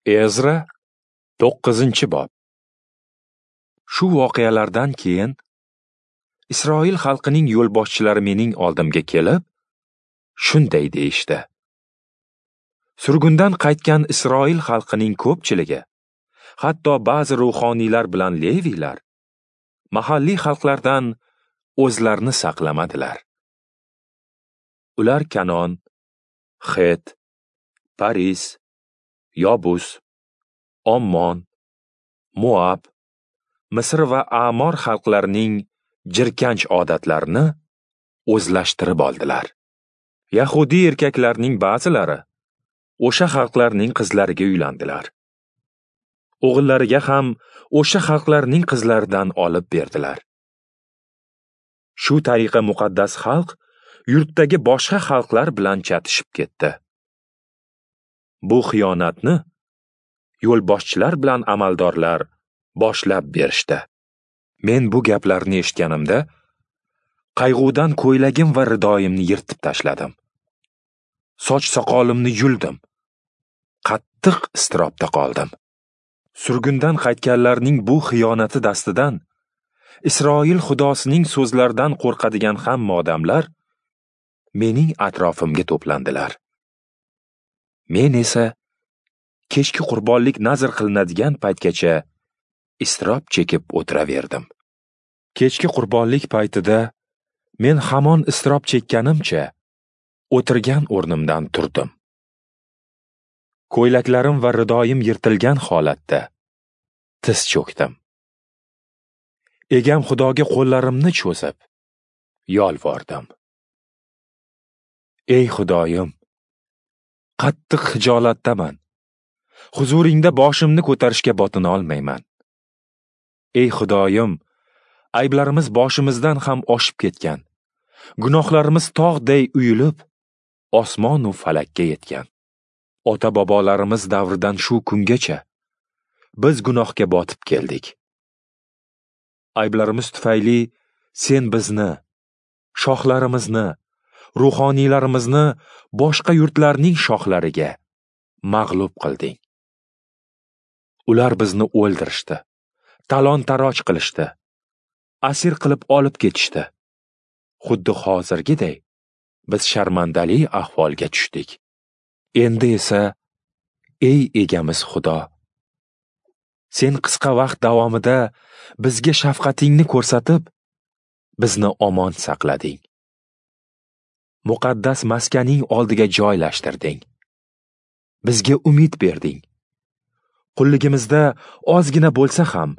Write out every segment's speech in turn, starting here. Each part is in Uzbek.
Ezra 9-bob. Shu voqealardan keyin Isroil xalqining yo'lboshchilari mening oldimga kelib, shunday deyishdi: Surgundan qaytgan Isroil xalqining ko'pchiligi, hatto ba'zi ruhoniylar bilan leviylar mahalliy xalqlardan o'zlarini saqlamadilar. Ular Kanon, Xet, Paris, Yobus, Ommon, Moab, Misr va Amor xalqlarining jirkanch odatlarini o'zlashtirib oldilar. Yahudi erkaklarning ba'zilari o'sha xalqlarning qizlariga uylandilar. O'g'illariga ham o'sha xalqlarning qizlaridan olib berdilar. Shu tariqa muqaddas xalq yurtdagi boshqa xalqlar bilan chatishib ketdi. Bu xiyonatni yo'lboshchilar bilan amaldorlar boshlab berishdi. Men bu gaplarni eshitganimda qayg'udan ko'ylagim va ridoyimni yirtib tashladim. Soch soqolimni yuldim. Qattiq iztirobda qoldim. Surgundan qaytganlarning bu xiyonati dastidan Isroil xudosining so'zlaridan qo'rqadigan hamma odamlar mening atrofimga to'plandilar. Men esa kechki qurbonlik nazr qilinadigan paytgacha iztirob chekib o'tiraverdim. Kechki qurbonlik paytida men hamon iztirob chekkanimcha o'tirgan o'rnimdan turdim. Ko'ylaklarim va ridoyim yirtilgan holatda tiz cho'kdim. Egam Xudoga qo'llarimni cho'zib yolvordim. Ey Xudoyim, qattiq xijolatdaman. Huzuringda boshimni ko'tarishga botina olmayman. Ey Xudoyim, ayblarimiz boshimizdan ham oshib ketgan. Gunohlarimiz tog'day uyilib, osmon u falakka yetgan. Ota-bobolarimiz davridan shu kungacha biz gunohga botib keldik. Ayblarimiz tufayli sen bizni, shohlarimizni, ruhoniylarimizni boshqa yurtlarning shohlariga mag'lub qilding. Ular bizni o'ldirishdi, talon-taroj qilishdi, asir qilib olib ketishdi. Xuddi hozirgiday biz sharmandali ahvolga tushdik. Endi esa, ey egamiz Xudo, sen qisqa vaqt davomida bizga shafqatingni ko'rsatib, bizni omon saqlading. Muqaddas maskaning oldiga joylashtirding. Bizga umid berding. Qulligimizda ozgina bo'lsa ham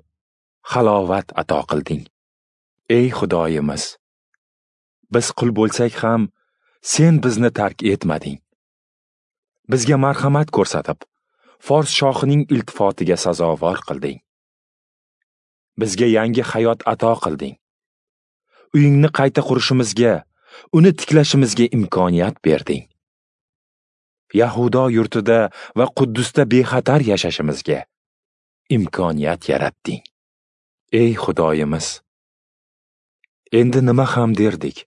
halovat ato qilding. Ey Xudoyimiz, biz qul bo'lsak ham sen bizni tark etmading. Bizga marhamat ko'rsatib, Fors shohining iltifotiga sazovor qilding. Bizga yangi hayot ato qilding. Uyingni qayta qurishimizga, uni tiklashimizga imkoniyat berding. Yahudo yurtida va Quddusda bexatar yashashimizga imkoniyat yaratding. Ey Xudoyimiz, endi nima ham derdik?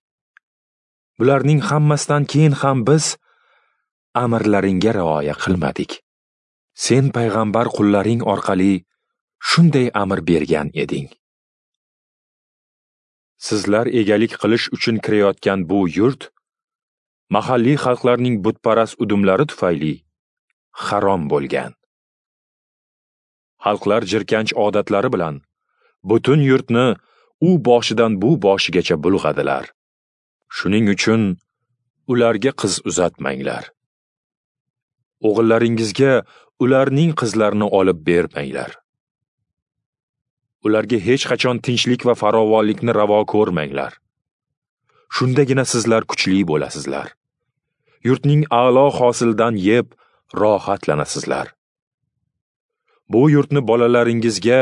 Bularning hammasidan keyin ham biz amrlaringga rioya qilmadik. Sen payg'ambar qullaring orqali shunday amr bergan eding: Sizlar egalik qilish uchun kirayotgan bu yurt mahalliy xalqlarning butparast udumlari tufayli harom bo'lgan. Xalqlar jirkanch odatlari bilan butun yurtni u boshidan bu boshigacha bulg'adilar. Shuning uchun ularga qiz uzatmanglar. O'g'illaringizga ularning qizlarini olib bermanglar. Ularga hech qachon tinchlik va farovonlikni ravo ko'rmanglar. Shundagina sizlar kuchli bo'lasizlar. Yurtning a'lo hosilidan yeb rohatlanasizlar. Bu yurtni bolalaringizga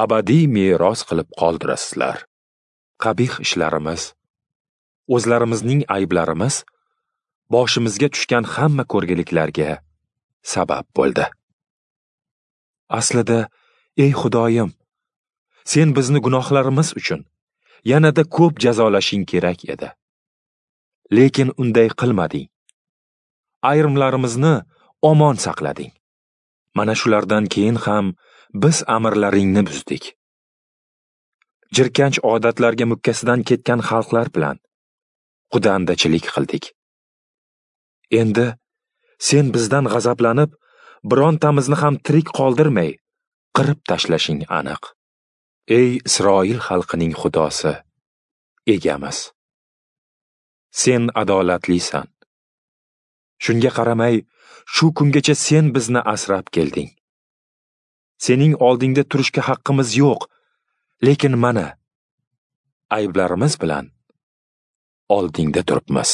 abadiy meros qilib qoldirasizlar. Qabih ishlarimiz, o'zlarimizning ayblarimiz boshimizga tushgan hamma ko'rgiliklarga sabab bo'ldi. Aslida, ey Xudoyim, sen bizni gunohlarimiz uchun yanada ko'p jazolashing kerak edi. Lekin unday qilmading. Ayrimlarimizni omon saqlading. Mana shulardan keyin ham biz amirlaringni buzdik. Jirkanch odatlarga mukkasidan ketgan xalqlar bilan qudandachilik qildik. Endi sen bizdan g'azablanib, birontamizni ham tirik qoldirmay, qirib tashlashing aniq. Ey Isroil xalqining Xudosi, egamiz! Sen adolatlisan. Shunga qaramay, shu kungacha sen bizni asrab kelding. Sening oldingda turishga haqqimiz yo'q, lekin mana ayblarimiz bilan oldingda turibmiz.